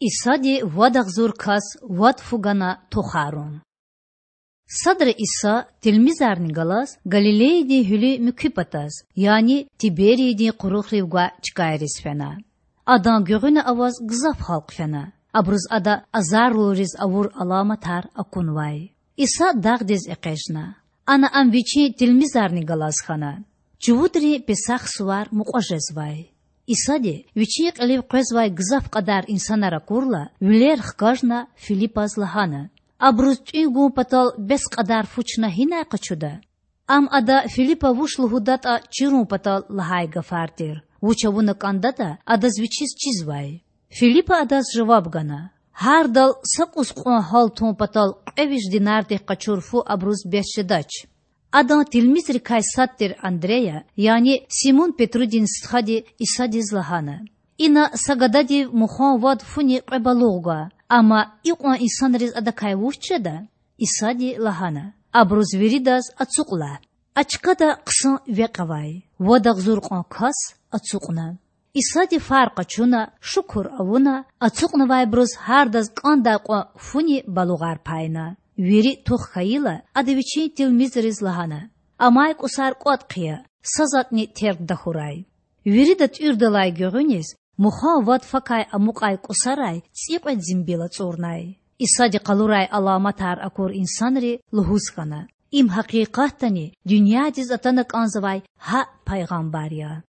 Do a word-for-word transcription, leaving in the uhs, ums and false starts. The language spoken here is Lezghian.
Исади вад агъзур кас вад фу гана тухарун. Садра Иса тилмизарни галаз Галилеядин гьуьлуь муькуь патаз, яни Тибериядин къурухрив гвай чкайриз фена. Адан гуьгъуьна аваз гзаф халкь фена. Абуруз Ада азарлуйриз авур аламатар акунвай. Иса дагъдиз экъечІна. Ана Ам Вичин тилмизарни галаз хьана. Чувудрин Песах сувар мукьва жезвай. Исади, Вичин кьилив къвезвай гзаф кьадар инсанар акурла, вилер хкажна, Филипаз лагьана: Абуруз тІуьн гун патал бес кьадар фу чна гьинай къачуда? Ам Ада Филипа вуч лугьудатІа чирун патал лагьай гафар тир. Вуч авуна кІандатІа, адаз Вичиз чизвай. Филипа Адаз жаваб гана: Гьардал са кІус кьван гьал тун патал кьве виш динардихъ къачур фу абуруз бес жедач. Адан тилмизрикай сад тир Андрея, яни Симун-Петрудин стхади, Исадиз лагьана: Ина са гададив мухан вад фуни кьве балугъ гва, амма икьван инсанриз адакай вуч жеда? Исади лагьана: Абуруз виридаз ацукь лагь. А чкада хъсан векь авай. Вад агъзур кьван кас ацукьна. Исади фар къачуна, шукур авуна, ацукьнавайбуруз гьардаз кІандай кьван фуни балугъар пайна. Вири тух хьайила, Ада Вичин тилмизриз лагьана: Амай кІусар кІватІ хъия, са затІни терг тахьурай. Вирида тІуьрдалай гуьгъуьниз мухан вад факай амукьай кІусарай цІикьвед зимбил ацІурнай. Исади къалурай аламатар акур инсанри лугьуз хьана: Им гьакъикъатдани дуьньядиз атана кІанзавай гьа пайгъамбар я.